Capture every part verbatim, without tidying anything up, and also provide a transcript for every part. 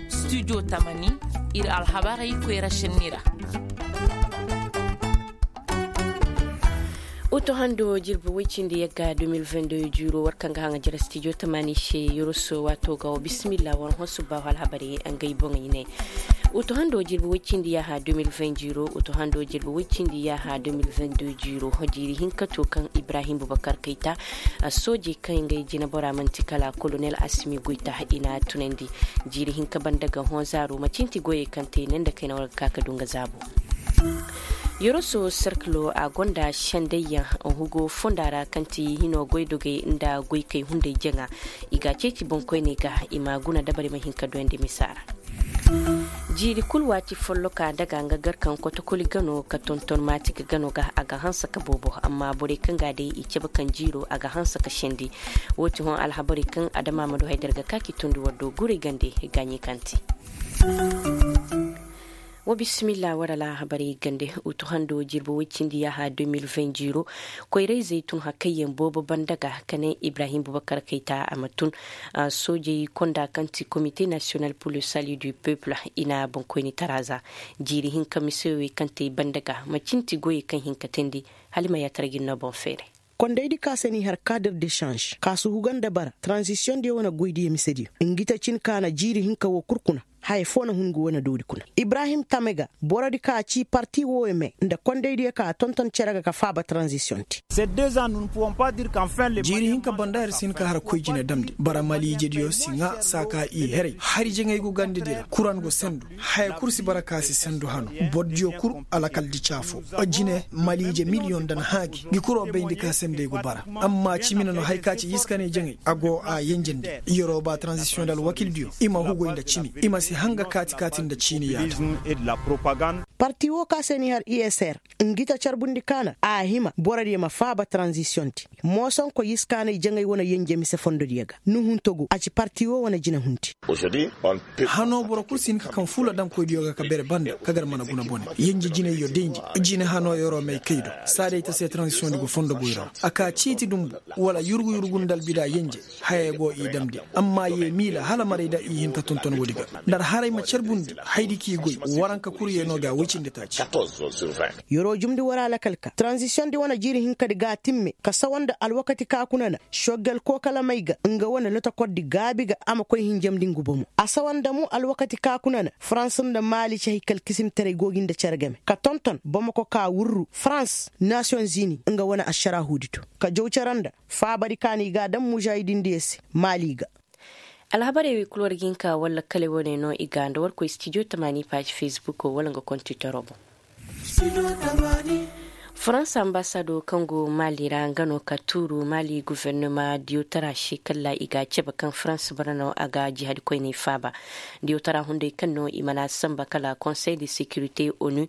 Studio tamani, ir alhabarey koyra šenni ra. Utu hando jirbi woy cindi yagga deux mille vingt-deux jiiro war kaŋ ga haŋa jere studio tamani se yoroso waato ga wa bisimilla war hõ subbaahu alhabarey. Ngey boŋey ne. Utu hando jirbi woy cindi yaaha deux mille vingt jiiro utu hando jirbi woy cindi yaaha deux mille vingt-deux jiiro. Jiiri hinka to kaŋ ibrahim bubakar kayta soojey kaŋ ngey jinabora man'ti kala kolonel asimi goyta i n'a tunandi. Jiiri hinka banda ga hõ zaaro macinti goyey kaŋ te ne nda kayna war ga ka ka du nga zaabo. Yoroso serkilo a gonda sendayyaŋ hugo fonda ra kaŋ ti hino goydogey nda goykey hunday jaŋa. I ga a ceeci boŋkoyney ga i ma guna dabari ma hin ka doyandi misa ra. Jiiri kul waati folloka daga nga gar kaŋ kotokoli gano ka tonton maati ga gano ga a ga hanse ka boobo amma borey kaŋ ga a day i cabe kaŋ jiiro a ga hanse ka sendi. Woo ti hõ alhabarey kaŋ adama ma du haydar ga ka k'i tondi war do guray gande gaaɲey kaŋ ti. Wa bisimilla war alhabarey gande. Utu hando jirbi woy cindi yaaha deux mille vingt jiiro koyra-izey tun hakayyaŋ boobo banda ga ka ne ibrahim bubakar kayta a ma tun. Soojey konda kaŋ ti komite nasiyonal pour le salut du peuple i na boŋkoyni tara za. Jiiri hinka mise wey kaŋ te banda ga ma cinti goyey kaŋ hin ka teendi. Hala i ma yaatara ga ir no boŋ feeray. Kondaydi ka se n'i har kadir de sanž ka suhuga nda bara tranzisiyoŋ diyo wane goydiyo misediyo ngi ta cin ka na jiiri hinka woo kul kuna. Haya foo na hun ngi wane doodi kuna ibrahim tame ga borodi ka ci parti wooyo me nda kondaydiyo ka tonton cere ga ka faaba tranzisiyoŋ te. Jiiri hinka banda ir si hin ka har koy jine damndi bara maliijediyo si ŋaa saa ka i heray hari jaŋay go gandedi ra kuran go sendu. Haya kul si bara ka si sendu hano. Bordiyo kul alakaldi caafo jine maliije miliyoŋ nda na hã gi ngi kul wo bayndi ka sendey go bara. Amma cimi na no hari ka ci yiskanay jaŋay a go a yenjandi. Yeroo ba taranzisiyoŋ nda alwakildiyo i ma hugoy nda cimi i ma si hanga kaati-kaati nda ciini yaada. Parti woo ka se n'i har i s r ngi ta carbundi ka na a hima borodiyo ma faaba taranzisiyoŋ te. Moosonko yiskaanay jaŋay wane yenje mise fondodiyo ga nuhunto go a ci parti woo wane jinahundi. Hano boro kul si hin ka kaŋ fuula daŋkoydiyo ga ka bere banda ka gar mana guna bone. Yenje jinayyo dayndi jine hano yeroo may kay do saa day ta se taranzisiyoŋdi go fondo goyra ra a ka ciiti dumbu wala yurgu-yurgu nda albida yenje. Hayey go i damndi amma ye miila hala maray da i hin ka tonton woodi ga. Nda ar haray ma carbundi haydi k'i goy waranka kul ye no ga woy cindi taaci. Yeroo jumndi war alakal ka taranzisiyoŋdi wane jiiri hinkadi ga a timme ka sawa nda alwakati ka kuna na soggel kookalamey ga nga wane lotokordi gaabi ga a ma koy hinjamndi ngu bomo a sawa nda mo alwakati ka kuna na farans nda maali ci haykalkisimtaray go gi nda cere game ka tonton bomo ko ka wurru farans nasiyoŋ zini nga wane ašaraahuudi to ka jaw cere nda faabadi ka n'i ga a daŋ mužaahidindiyo se maali ga. Alhabarey wey kul war ga hin ka war lakkaley wane no i ga nda war koy stijo tamaani paazi fesbukoo wala nga kontitoro boŋ. Farans ambasadoo kaŋ go maali ra nga no ka tuuru maali gufernama diyotara se kalla i ga a cabe kaŋ farans bara no a ga jihadikoyney faaba. Diyotara hunday kaŋ no i mana samba kala konsey de sekirite onu.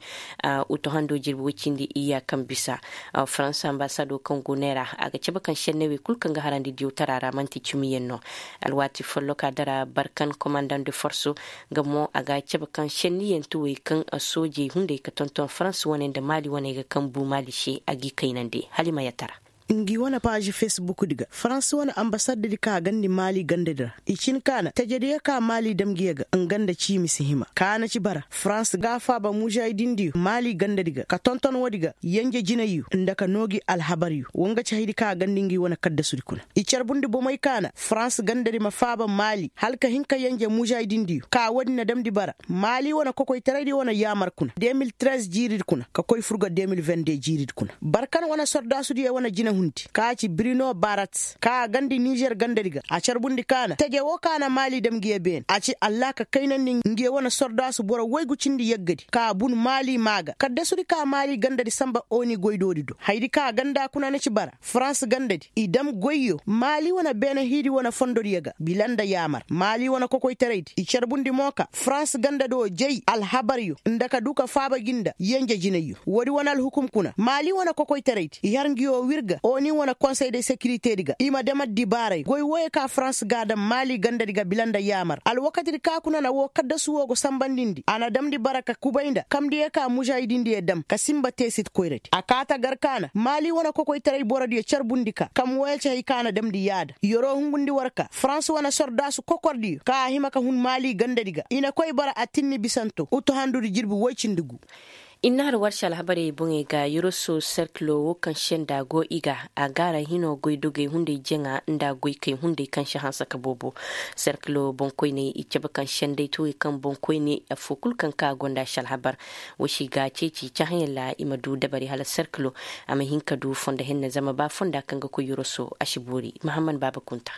Utu hando jirbi woy cindi iyya kaŋ bisa farans ambasadoo kaŋ go neera a ga cabe kaŋ sennawey kul kaŋ ga harandi diyotara ra man'ti cimiyaŋ no. Alwaati folloka dara barkan komandaŋ de forso nga mo a ga a cabe kaŋ senniyanti wey kaŋ soojey hunday ka tonton farans wane nda maali wane ga kaŋ bu maali se a g'i kaynandi hala i ma yatara. Ngi wane paazi fesbukdi ga farans wane ambasaddi ka a gandi maali gandadi ra i cin ka na tajediyo ka maali dam ngiyo ga nga nda ciimi si hima ka na ci bara farans ga a faaba mužaahidindiyo maali gandadi ga ka tonton woodi ga yenje jinayyo nda ka noo gi alhabaryo wo nga ci hayadi ka a gandi ngi wane kaddasudi kuna. I carbundi bomey ka na farans gandadi ma faaba maali hala ka hin ka yenje mužaahidindiyo ka woodi na damndi bara maali wane kokoytaraydi wane yaamar kuna deux mille treize jiiridi kuna ka koy fur ga deux mille vingt deux jiiridi kuna barkan wane sordaasudiyo wane jinahundi ka ci birino barat ka a gandi nizer gandadi ga a carbundi ka na teje woo ka na maali dam ngiyo beene a ci allaaka kaynandi ngiyo wane sordaasu boro waygu cindi yaggadi ka bun maali maa ga kaddasudi ka maali gandadi samba oni goydoodi do hayadi ka ganda kuna na ci bara farans gandadi i dam goyyo maali wane beene hiidi wane fondodiyo ga bila nda yaamar maali wane kokoytaraydi i carbundi mo ka farans gandado jay alhabaryo nda ka du ka faaba gi nda yenje jinayyo woodi wane alhukum kuna maali wane kokoytaraydi i har ngiyo wir ga. oni wane konsey de sekirite di ga i ma dam addibaaray goy wooyo ka farans ga a dam maali ganda di ga bila nda yaamar alwakati di ka kuna na woo kaddasu woo go sanbandindi a na damndi bara ka kubay nda kamndiyo ka mužaahidindiyo dam ka sinba teesit koyradi a kaa ta gar ka na maali wane kokoytaray borodiyo carbundi ka kam wooyo ci hay ka na damndi yaada yeroo hungundi war ka farans wane sordaasu kokordiyo ka a hima ka hun maali gandadi ga i na koy bara atinni bisanto utuhandudi jirbi woy cindi gu. Innaar warsi alhabarey boŋey ga yoroso serkilo woo kaŋ senda go i ga a gaara hino goydogey hunday jaŋa nda goykey hunday kaŋ si hanse ka boobo. Serkilo boŋkoyney i cabe kaŋ sendey tuwey kaŋ boŋkoyney affoo kul kaŋ ka gonda si alhabar. Woo si ga ceeci cahãyaŋ ra i ma du dabari hala serkilo a ma hin ka du fondo henne zama ba fonda kaŋ ga koy yoroso a si boori mahamman baaba kunta.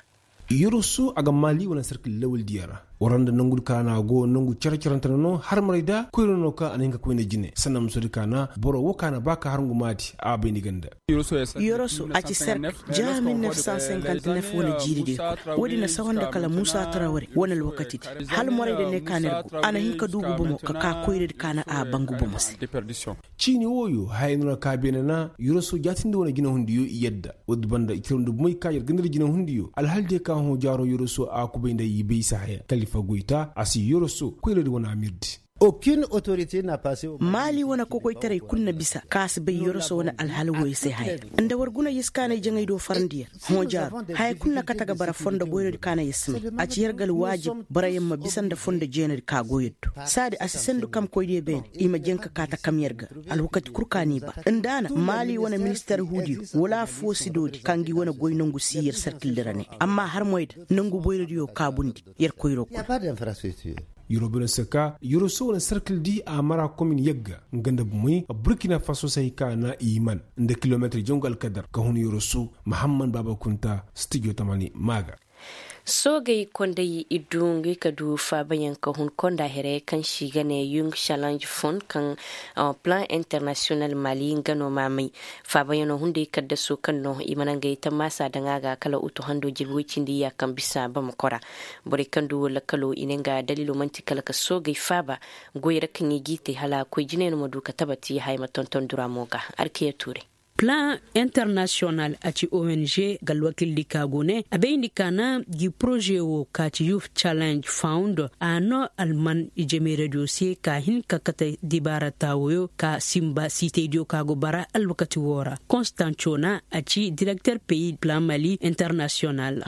Yoroso a ga maali wane sarkil lawaldiyaŋ ra. War nda nangu di ka na a go nangu care carante no no harmaray da koyra no ka a na hin ka koyne jine sannan musodi ka na boro wo ka na ba ka harngu maati a bay ni ganda. Yoroso a ci sarkil ja mil nef san sinkante nef wane jiiri di kuna woodi na sawanda kala muusa taraware wane alwakati di hala moray da ne ka na ir go a na hin ka duubu bomo ka ka koyra di ka na a bangu bomo se. Ciini wooyo haya no na ka beene na yoroso jaatindi wane jinehundiyo i yadda woodi banda i ciraw nda bumey ka yer ganda nda jinehundiyo alhaldiyo ka hõ jaaro yoroso a kubay nda i bay i si haya kalifa goyta a si yoroso koyradi wane amirdi. Maali wane kokoytaray kul na bisa ka si bay yoroso wane alhala wooyo se haya. Nda war guna yer si kaanay jaŋay do farandiyaŋ hõ jaaro haya kul na kate ga bara fondo boyradi ka na yer si may a ci yer ga alwaajib boroyaŋ ma bisa nda fondo jeenadi ka go yer do saadi a si sendu kamkoydiyo beene i ma jaŋ ka kaata kam yer ga. Alwakati kul ka n'i ba nda a na maali wane minister huudiyo wala affoo si doodi ka ngi wane goy nongu si yer sarkildi ra ne amma har moy da nongu boyradiyo kaabundi yer koyro kul. Yoroso wane sarkildi a mara komin yagga nga nda bumey burkina faso se hay ka na i man nda kilometir jangu alkadar ka hun yoroso mahamman baaba kunta stijo tamani maa ga. Soogey konday iddu ngey ka du faabayaŋ ka hun konda here kaŋ se i ga ne yung challenge fund kaŋ plan international mali nga no maamay. Faabayaŋo hunday kaddaso kaŋ no i mana ngey tammaasa daŋ a ga kala utu hando jirbi woy cindi iyya kaŋ bisa bamako ra. Borey kaŋ du woo lakkalo i ne nga daliilo man'ti kala ka soogey faaba goy ra kaŋ i g'i te hala koy jine no ma du ka tabati haya ma tonton dura mo ga. Arkiya tuuray. Plan international a ci ong ga alwakildi ka go ne a bayndi ka na gi poroze wo ka ci youth challenge fund a no alman ijemayradiyo se ka hin ka kate dibaara taawoyo ka sinba siitaydiyo ka go bara alwakati wo ra. Konstanco na a ci direkter peyi plan mali international.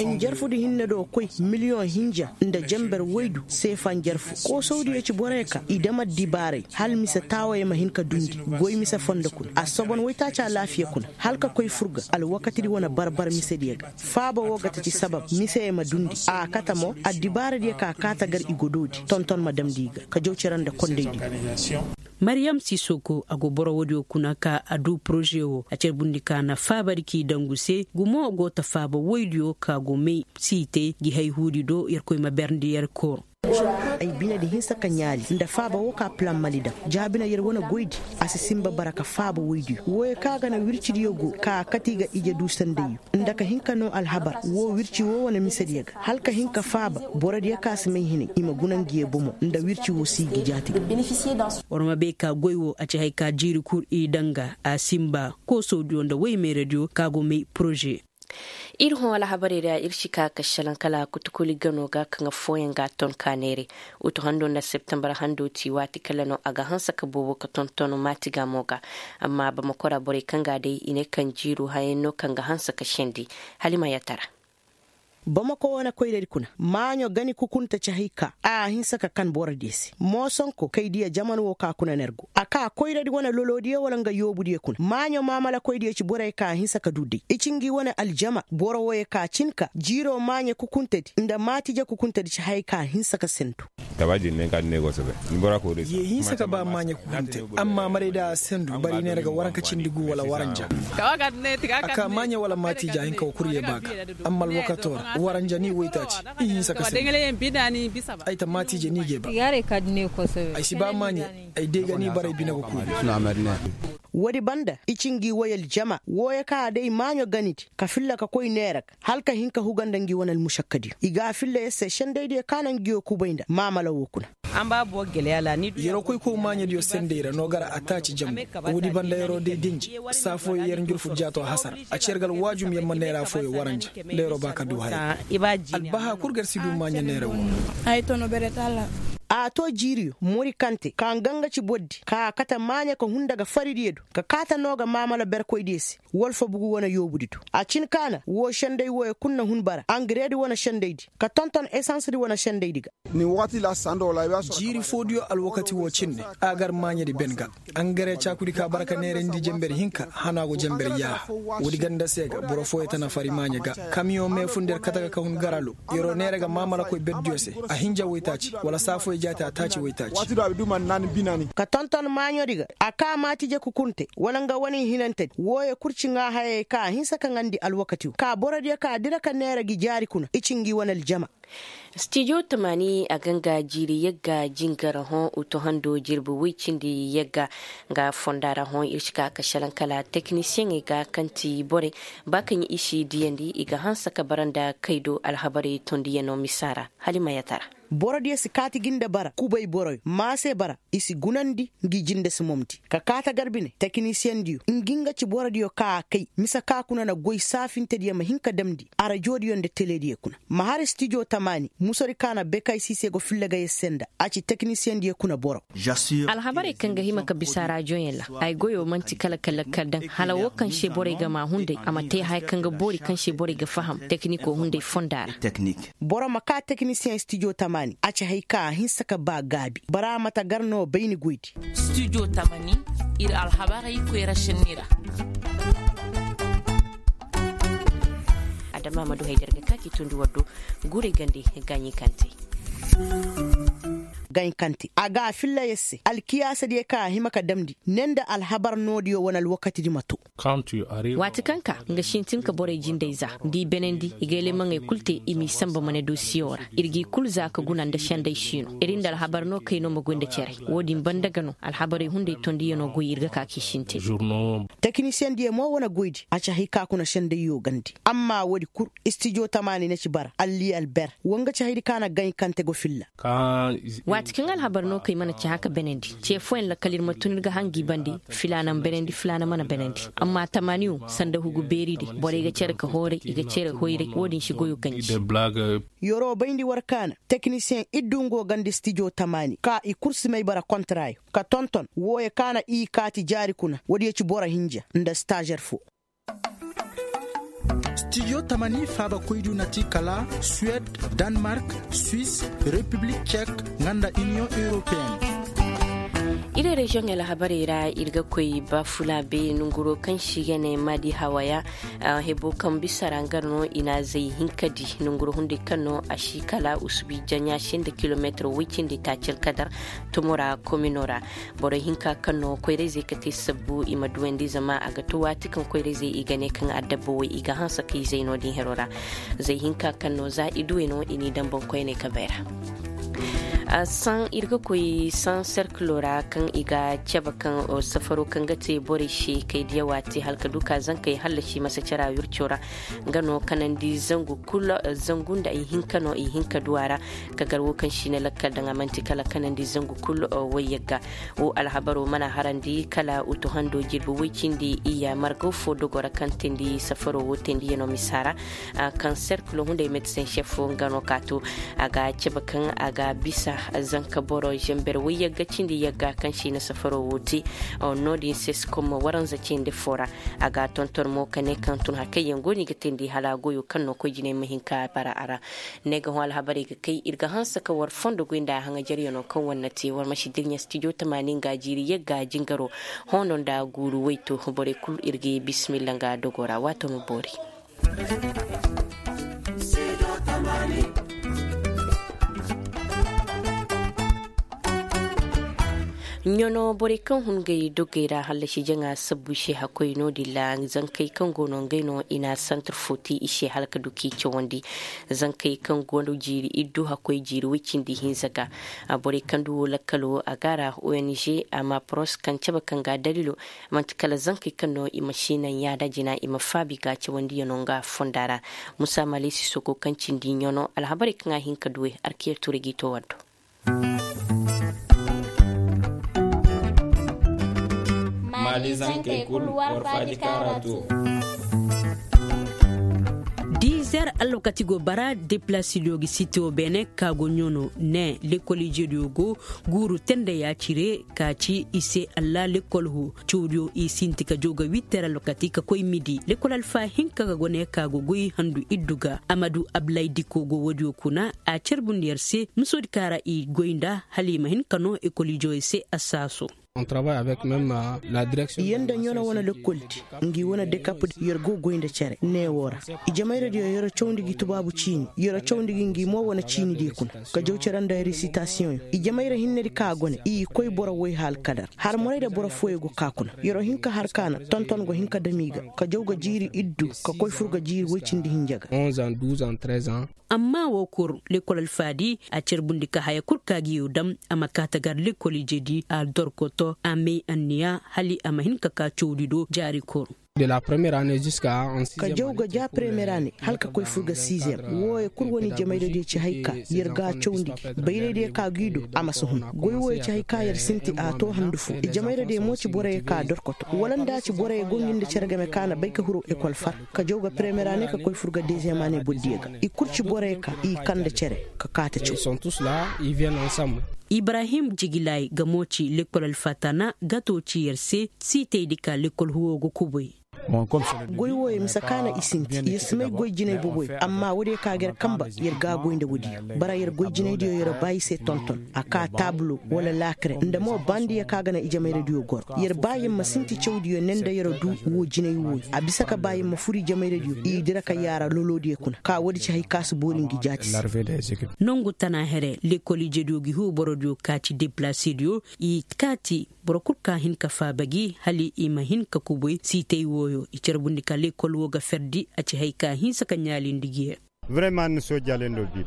Njarfudi hinne do koy miliyoŋ hinja nda jenber woydu seefa njarfu koosawdiyo ci borey ka i dam addibaaray hala mise taawey ma hin ka dundi goy mise fondo kuna a sobon woytaaci alaafiya kuna hala ka koy fur ga alwakatidi wane barbar misediyo ga. Faaba woo ga ta ci sabab misey ma dundi a kate mo addibaaradiyo ka kaata gar i godoodi tonton ma damndi i ga ka jaw cere nda kondaydi. Mariyam sisoko a go boro woodiyo kuna ka a du poroze wo a carbundi ka na faabadi k'i dangu se gumo go ta faaba woydiyo ka go may siitay gi hayhuudi do yerkoy ma berndi yer koor. Ay binedi hinsa ka ɲaali nda faaba wo ka plan mali daŋ jaabina yer wane goydi a si sinba bara ka faaba woydiyo wooyo ka ga na wircidiyo go ka kati ga ije du sandayyo nda ka hin ka noo alhabar woo wirci woo wane misediyo ga hala ka hin ka faaba borodiyo ka si may hinay i ma guna ngiyo bomo nda wirci woo si i ga jaati ga. War ma bay ka goy woo a ci haya ka jiiri kul i daŋ ga a sinba koosawdiyo nda woy meeradiyo ka go may poroze. Ir hõ alhabarey ra ir si ka ka šelaŋ kala kutukuli gano ga kaŋ affooyaŋ ga a ton ka neeray. Utu hando nda septembar hando ti waati kala no a ga hanse ka boobo ka tonton maati gaamo ga. Amma bamako ra borey kaŋ ga a day i ne kaŋ jiiru hayaŋ no kaŋ ga hanse ka sendi. Halima yattara. Bamako wane koyradi kuna maaɲo gani kukunta ci hay ka a hinse ka kan borodiyo se moosonko kay diya jaman wo ka kuna nergo a ka koyradi wane lolodiyo wala nga yoobudiyo kuna maaɲo maamalakoydiyo ci borey ka a hinse ka du day i ci ngi wane aljama boro woyo ka cin ka jiiro maaɲo kukuntadi nda maatije kukuntadi ci hay ka a hinse ka sendu. Ye hinsa ka ba maaɲe kukunte amma maray da a sendu bari neera ga waranka cindi gu wala waranja. A ka maaɲe wala maatija hinka wa kurye ba ga. Amma alwakato ra waranja ni waytaaci i hinsa ka sendu. Ay ta maatije ni ga ay ba. Ay si ba maaɲe ay day ga ni baray bine ga kuri. Woodi banda i ci ngi way aljama wooyo ka a day maaɲo ganidi ka filla ka koy neera ga hala ka hin ka huga nda ngi wane almušakkadiyo i ga a filla yer se sendaydiyo ka na ngiyo kubay nda maamala woo kuna. Yeroo koy kow maaɲediyo sendey ra no gar a taaci jangu. Woodi banda yeroo day denji saa fooyo yer njurfu jaatoo hasara. A ci yer ga alwaajum yer ma neera fooyo waranja nda yeroo ba ka du haya. Albahaa kul gar si du maaɲe neera woo. A too jiiriyo mori kante ka nga nga ci bordi ka a kate maaɲe ka hunda ga faridiyo do ka kaate noo ga maamala berkoydiyo se. Walfa bugu wane yoobudi do a cin kaana woo sendey wooyo kul na hun bara angareedi wane sendeydi ka tonton esansdi wane sendeydi ga. Jiiri foodiyo alwakati woo cindi a gar maaɲedi ben ga. Angare caakudi ka bara ka neerandi jenber hinka hanaa go jenber yaaha. Woodi ganda se ga boro fooyo tana fari maaɲe ga. Kamiyoŋ meefundi yer kate ga ka hun garalo. Yeroo neera ga maamalakoy berdiyo se a hinja woytaaci wala saa fooyo jaati a taaci woytaaci. Ka tonton maaɲoodi ga a kaa maatije kukunte wala nga wane hinantedi wooyo kul ci ŋaa hayey ka a hinsa ka ŋaandi alwakatiyo ka borodiyo ka dira ka neera gi jaari kuna i ci ngi wane aljama. Stijo tamaani a ga nga jiiri yagga jingara hõ utuhando jirbi woy cindi yagga. Nga fonda ra hõ ir si ka ka šelaŋ kala teknisiyeŋey ga kaŋ ti borey ba kaŋ i si diyandi i ga hanse ka bara nda kaydo alhabarey tondiyaŋo misa ra. Halimayata ra. Borodiyo si kaati gi nda bara kubay boroyo maase bara. I si gunandi ngi jinde si momdi ka kaata gar bine tekinisiyendiyo ngi nga ci borodiyo ka a kay mise ka kuna na goy saafintediyo ma hin ka damndi arajoodiyo nda telediyo kuna. Ma har stijo tamaani musodi ka na bekay siise go filla ga yer se nda a ci tekinisiyendiyo kuna boro. Alhabarey kaŋ ga hima ka bisa rajoyaŋ ra ay goyo man'ti kala ka lakkal daŋ hala woo kaŋ se borey ga maa hunday a ma te haya kaŋ ga boori kaŋ se borey ga faham tekiniko hunday fonda ra. Boro ma ka tekinisiyeŋ stijo tamaani a ci hay ka a hinsa ka ba gaabi bara mata gar no bayni goydi. Stijo tamani ir alhabarey koyra senni ra. Adama ma du hay der ga ka ki tundi waddo guurey gande gaaɲi kante. Gaaɲi kante a ga a filla yer se alkiyaasadiyo ka a hima ka damndi ne nda alhabar noodiyo wane alwakatidi ma to. Waati kaŋ ka nga sintin ka borey jindey za nda i benandi i ga elemaŋey kul te i m'i sanba ma ne dosiyo ra ir g'i kul za ka guna nda sendey siino ir nda alhabar no kay no ma goy nda cere. Woodin banda ga no alhabarey hunday tondiyanoo goy ir ga ka k'i sintin. Tekinisiyendiyo mo wane goydi a ci hay ka kuna sendeyyo gandi amma woodi kul istijo tamaani na ci bara alli alber wo nga ci haydi ka na gaɲ kante go filla. Waati kaŋ alhabar no kay mana ci haka benandi ce fooyaŋ lakkal ir ma tun ir ga haŋ gi bandi filaana ma benandi filaana mana benandi. Amma tamaani wo sanda hugu beeri day borey ga cere ka hooray i ga cere hoyray wo-din si goyo ganji. Yeroo bayndi war kaana tekinisiyeŋ iddu ngo gandi stijo tamaani ka i kul si may bara kontaraayo ka tonton wooyo ka na i kaati jaari kuna woodiyo ci boro hinja nda stazer foo. Stijo tamani faabakoydiyo na ti kala suwed, danmark, swis, repiblik cek, nga nda iniyoŋ europeyen. Iri reziyoŋey alhabarey ra ir ga koy bafulaabe nonguroo kaŋ se i ga ne maadi hawaya. Hebo kaŋ bisa ra nga no i na zay hinka di nonguroo hunday kaŋ no a si kala usubi jaɲa se nda kilomeetir woy cindi taaci alkadar. Tumo ra komino ra borey hinka kaŋ no koyrayzey ka te sabbu i ma duwandi zama a ga to waati kaŋ koyrayzey i ga ne kaŋ adabba way i ga hanse ka izey no-din hero ra. Zay hinka kaŋ no za i duwey no i n'i daŋ boŋkoyney ka bay ra. Saŋ ir ga koy saŋ serkilo ra kaŋ i ga cabe kaŋ safaro kaŋ ga te borey se kay diya waati hala ka du ka zankey hallasi masacara wirco ra. Nga no kanandi zangu kul zangu nda ihinka no ihinka du a ra. Ka gar wo kaŋ si ne lakkal daŋ a man'ti kala kanandi zangu kul. Wayyagga wo alhabaro mana harandi kala utuhando jirbi woy cindi iyya margaw fo dogo ra kaŋ teendi safaro wo teendiyaŋo misa ra. Kaŋ serkilo hunday medsen šef fo nga no ka to a ga cabe kaŋ a ga bisa zanka boro zember woy yagga cindi yagga kaŋ si na safaro wo te. No-din se si kom waranza cindi fo ra. A ga tonton mo ka ne kaŋ tun hari kaŋ yaŋ go no i ga teendi hala goyo kaŋ no koy jinay ma hin ka bara a ra. Ne ga hõ alhabarey ga kay ir ga hanse ka war fondo goy nda haŋajaryaŋo kaŋ war na te war ma si dirɲa stijo tamaani nga jiiri yagga jingaro. Hoono nda guuru wayto borey kul ir ga ye bisimilla nga dogo ra waato ma boori. Ɲano borey kaŋ hun ngey dogey ra hallasi jaŋa sabbu i se hakkoy no-din ra zankey kaŋ go no ngey no i na santir fo te i se hala ka du k'i cawandi. Zankey kaŋ go no jiiri iddu hakkoy jiiri woy cindi hinza ga. Borey kaŋ du wo lakkalo a ga a ra ong a ma poros kaŋ cabe kaŋ ga a daliilo. Man'ti kala zankey kaŋ no i ma si naŋ yaada jina i ma faabi ga cawandiyaŋo nga fonda ra. Musa malesi soko kaŋ cindi ɲano alhabarey kaŋ a hin ka duwey arkiyer turay g'i to war do. Dizer alwakati go bara deplasidiyo gi sitiyo beene ka go ɲoono ne lekol ijediyo go guuru tende ya cire ka ci i se allah lekol ho cawdiyo i sinti ka jaw ga witter alwakati ka koy midi lekol alfa hinka ga gone ka go goy handu iddu ga amadu ablaydiko go woodiyo kuna a carbundi yer se misoodi ka ra i goy nda hala i ma hin ka noo ekol ijewey se assaaso. Yer nda ɲono wane lekkoldi ngi wane dekapdi yer go goy nda cere neewoo ra. Ijemayradiyo yer cawndi gi tubaabu ciini yer cawndi gi ngi mo wane ciinidiyo kuna ka jaw cere nda risitasiyoŋyo. Ijemayra hinnedi ka gone i koy boro woy haalkadar har morayda boro fooyo go kaa kuna yer hin ka har kaana tonton go hin ka dam i ga ka jaw ga jiiri iddu ka koy fur ga jiiri woy cindi hinja ga. Amma woo kul lekkol alfaadi a carbundi ka haya kul ka gi yoo dam a ma kaa ta gar lekkol ijedi a dorkoto a may anniya hala a ma hin ka kaa cawdi do jaari kul. Ka jaw ga ja premiyer ane hala ka koy fur ga sizem wooyo kul wane ijemayradiyo ci hay ka yer ga a cawndi gi bayraydiyo ka gi do a ma si hun goy wooyo ci hay ka yer sinti a too handu foo ijemayradiyo mo ci boroyo ka dorkoto wala nda a ci boroyo go ngi nda cere game ka na bay ka huru ekol far ka jaw ga premiyer ane ka koy fur ga deziyem ane bordiyo ga i kul ci borey ka i kande cere ka kaate caw. Ibrahim jigilay ga mo ci lekkol alfatana gato ci yer se siitaydi ka lekkol huwo ga kubay. Goy wooyo mise ka na i sinti yer si may goy jinay boboyo amma woodiyo ka ga yer kanba yer ga a goy nda woodiyo bara yer goy jinaydiyo yer baa i se tonton a kaa taabulo wala laakare nda mo baandiyo ka ga na ijemayradiyo goro yer baa yer ma sinti cawdiyo ne nda yer du woo jinay wooyo a bisa ka baa yer ma fur ijemayradiyo i dira ka yaara loloodiyo kuna ka woodi ci hay ka si boori ngi jaati se. Nongu tana here lekkol ijediyo gi huu borodiyo ka ci deplasediyo i kaati boro kul ka hin ka faaba gi hala i ma hin ka kubay siitay wooyo i carbundi ka lekkol woo ga ferdi a ci hay ka hinsa ka ɲaalindi gi.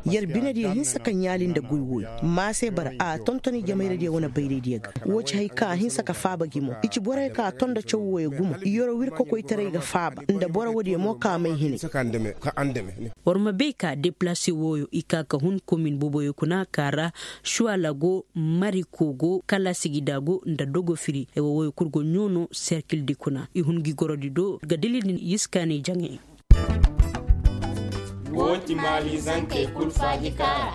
Yer binediyo hinsa ka ɲaali nda goy wooyo maa se bara a tonton ijemayradiyo wane bayraydiyo ga woo ci hay ka a hinsa ka faaba gi mo i ci borey ka a ton nda caw wooyo gumo yer wir kokoytaray ga faaba nda boro woodiyo mo ka may hinay. War ma bay ka deplase wooyo i ka ka hun komin boboyo kuna ka ra suwala go mariko go kala sigida go nda dogo firi ay wooyo kul go ɲoono serkildi kuna i hun gi gorodi do ga dalildi yiskaanay jaŋay. Woo ti maali zankey kul faaji kaara.